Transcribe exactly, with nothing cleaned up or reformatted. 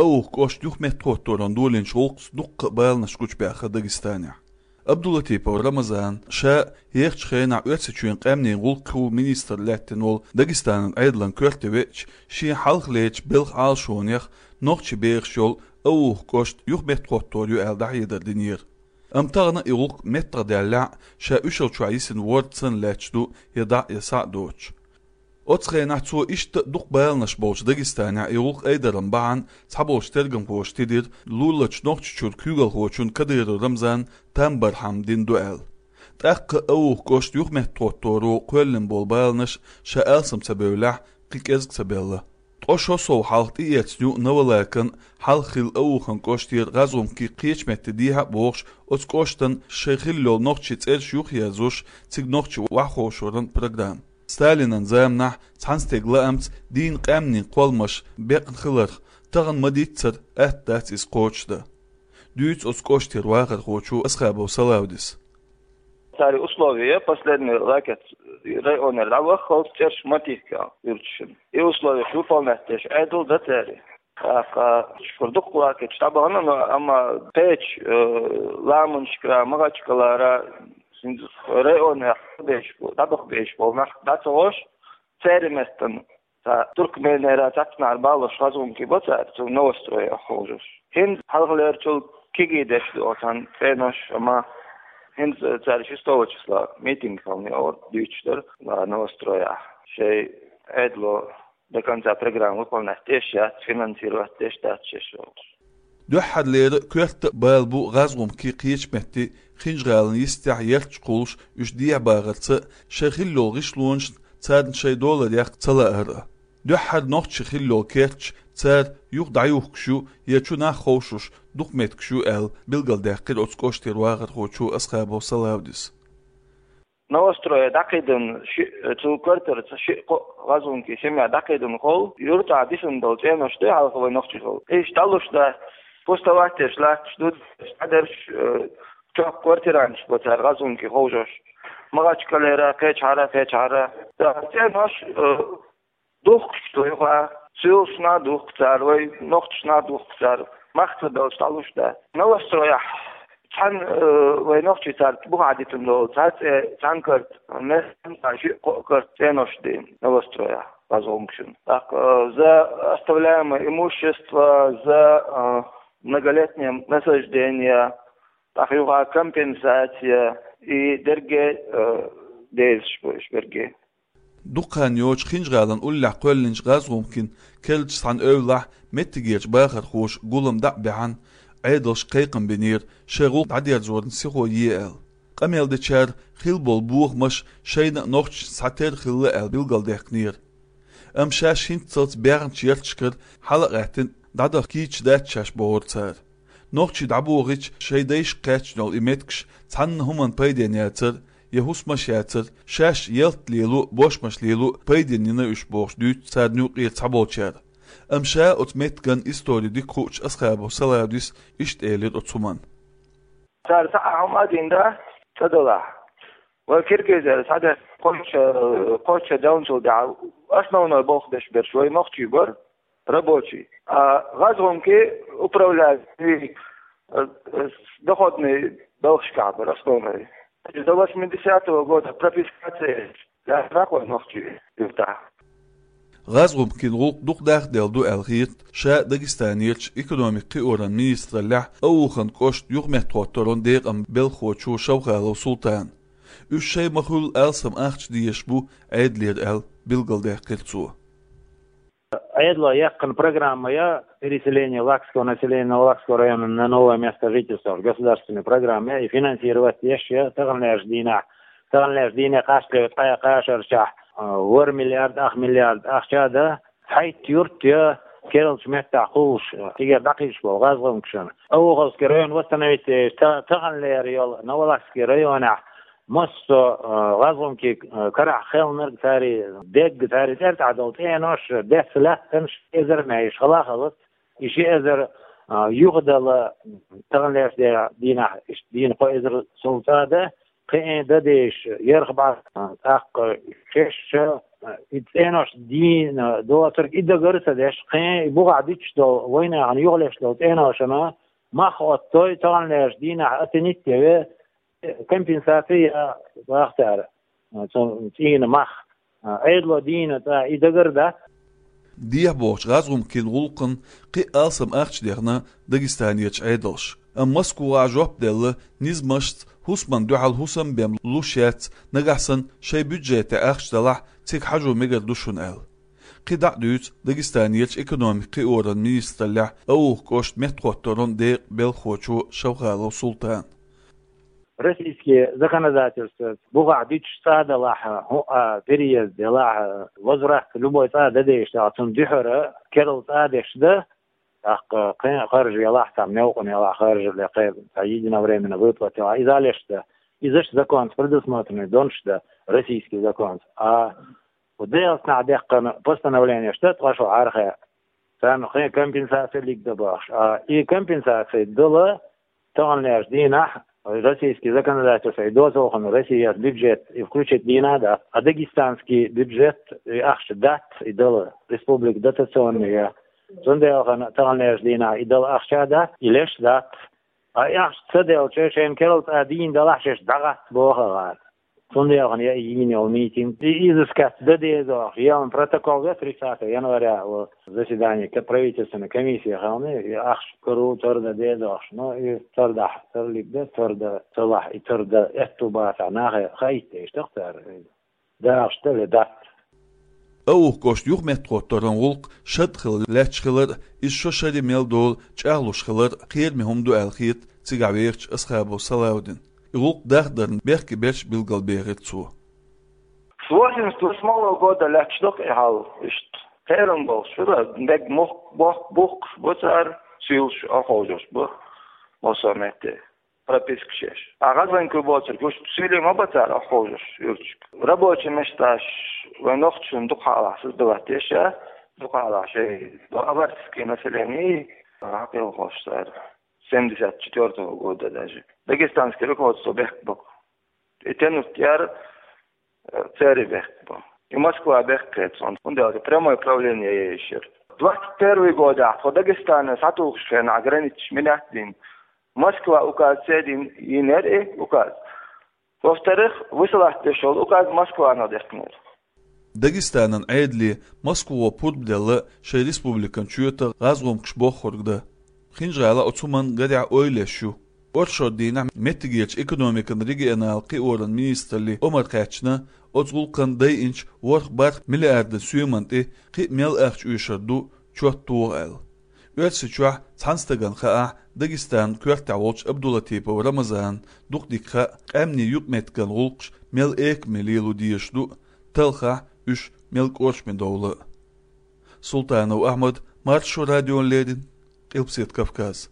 Ауха кӀошта юхаметтахӀотторан долийнача гӀулакхаца дуккха а баланаш гучабаьхар Дагестанехь. Абдулатипов Рамазана ша ехачу хенахь Оьрсийчоьнан къаьмнийн гӀулакхийн министр лаьттина волу Дагестанан Ӏедалан коьрте веача, шен хьалхалерчу белхан Ӏалашонех нохчийн бехаш йолу Ауха кӀошт юхаметтахӀоттор ю аьлла дӀахьедар динера. Амма тахана и гӀуллакх меттахдаьллехь а, ша уьшалла чохь йисина ворда санна лаьтташ ду я дӀа а, я схьа а доцуш. Оцу хенахь цо иштта а дукха баланаш болчу Дагестанехь и гӀуллакх айдаран бахьана цхьаболчу тергамхоша тидира, луларчу Нохчийчуьра куьйгалхочунна Кадыров Рамзанна там-бархьам дина ду аьлла. ТӀаккха Ауха кӀошта юхаметтахӀотторо кхоьллина болу баланаш, ша алсам ца бевллехь, кхин кӀезиг ца белла. Ткъа шо сов хьалха тӀеэцна ю Новолакан, хьалха хилла Аухин кӀоштера гӀазгӀумкий кхечу метте дехьа а бохуш, оцу кӀоштан шайн хилла йолу нохчийн цӀераш юхаерзош, цига нохчий охьаховшоран программа. Сталинан заманахь цхьана стеган лаамца дийнна къаьмнийн кхолламаш бекъна хиларх, тахана ма-дийццара атта дац иза кхочушдан. Дуьйцу оцу кӀоштера вахархочо Асхабов Салавдис. Цара условия, последний лакет районера дӀаваххалц цӀераш ма тихка юьрташна. И условия выполнять деш Ӏедал дан цара. ТӀаккха шуьра дуккха лакеташ дӀабахана, но амма кхечу, э, ламанашкара, Махачкалара, хӀинца районехь беш бу-, дӀабаха беш болу нах дӀа ца гӀош, церан меттана. Ца Туркменера, цхьацнахьара балош гӀазгӀумкий бо цара, цу Новостроях ховшош. ХӀинца хьалхалерчул кегий деш ду оцу цӀенош, амма хӀинца цара шестого числа митинг хилла, дуьйцуш дара Новостроях. Шайн Ӏедало до конца программа выполнять деш яц, финансировать деш дац шаьш олуш. Дуьххьарлера коьрта а бала бу гӀазгӀумкий кхечу метте Хинжа-ГӀалина йистехь ярташ кхуллуш, уьш дехьабахарца, шайн хилла йолу гӀишлонашна царна шайн долар яккха ца лаар а. Дуьххьара нохчийн хилла йолу керташ цара юха дӀаюхкуш ю я чу нах ховшош дукха меттигаш ю аьлла, билгалдаьккхира оцу кӀоштера вахархочо Асхабов Салавдис. Новострое дӀакхийдина ши-, цу квартирца ши-кхо гӀазгӀумкий семья дӀакхийдина хилла, юьртахь дисина долу цӀенош ду хьалха вай нохчий хилла. Иштта дӀалуш дац, пустовать деш латташ ду, дӀадерш, э, чохь квартиранаш бо цара гӀазгӀумкий ховшош. Махачкалера, кхечахьара, кхечахьара. Ца цӀенош, э, духкуш ду юха, суьйлашна а духку цара, вай нохчашна а духку цара, мах ца беллаш дӀалуш дац. Новострояхь цхьана, э, вай нохчий цара бухахь дитина долу цхьа цӀе, цхьана карта, мел ши-кхо карта цӀенош дина Новострояхь, гӀазгӀумкашна. ТӀаккха, э, за оставляемое имущество, за, э, многолетнее насаждение, тӀаккха юха компенсация и дерриге, э, дезаш бу уьш берриге. Дукха хан йоцуш Хинжа-ГӀалина уллехь кхоьллинчу гӀазгӀумкийн керлачу цхьана эвлахь меттигерчу бахархоша гулам дӀа а баьхьна, Ӏедалшка кхайкхам бинера, шайн гӀуллакх дӀадерзорна сихо е аьлла. Къамел дечара хилла болу бохамаш шайна а, нохчашна а цхьатерра хилла аьлла билгалдаьккхинера. Амма шаьш хӀинццалц баьхначу ярташкара хьала а гӀаьттина, дӀадаха кийча дац шаьш бохура цара. Нохчий дӀабохийча, шайн дайшка кхаьчна йолу и меттигаш цхьанна хӀуманна пайденна яцара, я хӀусамаш яцара, шаьш ялта лело а, бошмаш лело а пайденна йина уьш бохуш дуьйцу царна юкъера цхьаболчара. Амма ша оцу меттиган истори дика хуучу Асхабов Салавдис иштта элира оцу хӀуманна. Цара цхьа а хӀума а дина дац, ца далахь. Вай киргизера схьадаьхна кхоччу, кхоччу девнцул тӀаьхьа основной болх беш берш вай нохчий бара, рабочий. А гӀазгӀумкий управлять, э, э, доходный балхашкахь бара основной. До восьмидесятого года прописка ца еш, лаьцна вай нохчий юьртахь. ГӀазгӀумкийн гӀуллакх дукха дахделла ду аьлла хета ша Дагестанерчу экономикин кхиоран министраллехь Аухин кӀоштан юхаметтахӀотторан декъан белхахочо Шовхалов Султана. Уьш шайн ма-хуьллу алсам ахча дезаш бу Ӏедалера аьлла, билгалдаьккхира цо. Ӏедало яьккхина программа я переселение лакского населения Новолакского района на новое место жительства, государственная программа я, и финансировать деш я таханлерчу дийнахь, таханлерчу дийне кхачале ткъе кхаа шарчохь, а, ворхӀ миллиард, ах миллиард ахча а дан, хьайтта юрт я кералчу меттехь кхуллуш, цигара дӀакхийдаш болу гӀазгӀумкашна. Ауховский район восстановить деш, та-, таханлера йолу Новолакский районехь массо а, э, гӀазгӀумкий, э, карахь хелларг, цара дегга, цара цӀерта долу цӀенош, десса лаьттанаш, ши эзар мегаш хала а хилац. И ши эзар, э, юхадала, таханлерчу де-, дийнахь, иштта дийна кхо эзар сов цӀа а дан, кхин а дан дезаш, ярх бӀе, э, тӀаккха шаьш а, И цӀенош дийна доцург и дагар а ца деш, кхин и бухахь дуьтуш долу вайнахана юхалеш долу цӀеношна мах оттадой, таханлерчу дийнахь оценить ян компенсаци я боху цара, цу цӀийнан мах. Ӏедало дийна цӀа и дагар а дац. Дехьа бохучу гӀазгӀумкийн гӀуллакхана кхин а алсам ахча дехна Дагестанерчу Ӏедалша. Амма Москвахь жоп делла низамашца хӀусамна дуьхьал хӀусам бен луш яц, нагахь санна шайн бюджетехь ахча далахь, цига хьажо мегар ду шуна аьлла. КхидӀа а дуьйцу Дагестанерчу экономикан кхиоран министраллехь Аухов кӀоштан меттахӀотторан декъан белхахочо Шавхалов Султана. Российский законодательство бухахь дуьтуш цӀа далахь, хӀу-, а, переезд делахь, возврат любой цӀа дан дезаш далахь, цунна дуьхьара керла цӀа деш дан, тӀаккха кхин а харж ялахь, цхьа мелкъа ялахь харж, я кхин а цхьа единовременно выплата ялахь, иза леш дан. Изаш законца предусмотренный донаш дан, российский законца. А Дагестанахь дехкина постановленеш дан ткъа шо хьархе, царна кхин а компенсаци лиг дан бохуш. А и компенсаци дала таханлерчу дийнахь российский законодательство, и доцалхана Россияс бюджет и включить дийна а дац, а дагестанский бюджет и ахча дац и дала, республика дотационная. Цундела хана таханлерчу дийнахь и дала ахча а дац, и леш а дац. А и ахча ца делча, шайна керла цӀа дийна далахь, шаьш дӀагӀатта боху гӀара. Цундела хана я и йийна йолу митинг. И изыскать дан деза ахча. Елан протокол ве тридцатого января, о, заседание ка-, правительственной комиссии хьална, и ахча кару тар дан деза ахча. Но и тар дахь, тарлиг дан, тар дан ца лахь, и тар дан этту бацахь, нахе хаийта дезаш ду-кх цара. Дахаш дан ве дац. Аухов кӀоштан юхаметтахӀотторан гӀуллакх шад хила лаьтташ хилар а, иза шо шаре мел долу чӀагӀлуш хилар а кхераме хӀума ду аьлла хета цигахь вехачу Асхабов Салавдина. И гӀуллакх дахдарна бехке берш билгалбехира цо. С восемьдесят восьмого года лаьтташ ду-кх и хьал иштта. Кхерам болуш, шура, мега мух-, бохк-, бухкуш бу цара, суьйлуш, охьаховшош бу массо а метте пропискаш еш. А гӀазгӀанкуй боцург, уьш суьйле ма бац цара охьаховшош юьрташка. Рабочий месташ вайн нохчашна дукха хьалахь создавать деш, а, дукха хьалахь шайн, ну, аварское население, хьакъ йолуш цара. Семьдесят четвёртого года даже. Дагестанское руководство бехк бу. И тянуть яр, э, церан бехк бу. И Москва бехк хета цунна. ХӀунда аьлча прямое управление еш яр. Двадцать первый годехь тхо Дагестанан схьатухуш хенахь границаш мила яц дина. Москва указ ца дина, йинера и указ. Во-вторых, высылать деш йолу указ Москвано дехкинера. Дагестанан Ӏедале Москвахо пурба делла шайн республикан чоьтах гӀазгӀумкаш боххург дан. ХӀинжа-ГӀала оцу хӀуманна гарехь ойла еш ю. Оршот дийнахь меттигерчу экономикан регионал кхиоран министралли омра кхаьчна, оцу гӀуллакхан дайинчу ворхӀ-бархӀ миллиардан соьман тӀе кхин а мел ахча оьшур ду чот тоха аьлла. Оьрсийчохь цхьана стагана хаахь, Дагестанан коьртехь волчу Абдулатипов Рамазанна дукха дика хаьа, къаьмнийн юкъаметтиган гӀуллакхаш мел экаме лело дезаш ду, талхахь уьш мел кӀоршаме довла а. Султанов Ахьмад, Маршо радиона леррина, Къилбаседа Кавказ.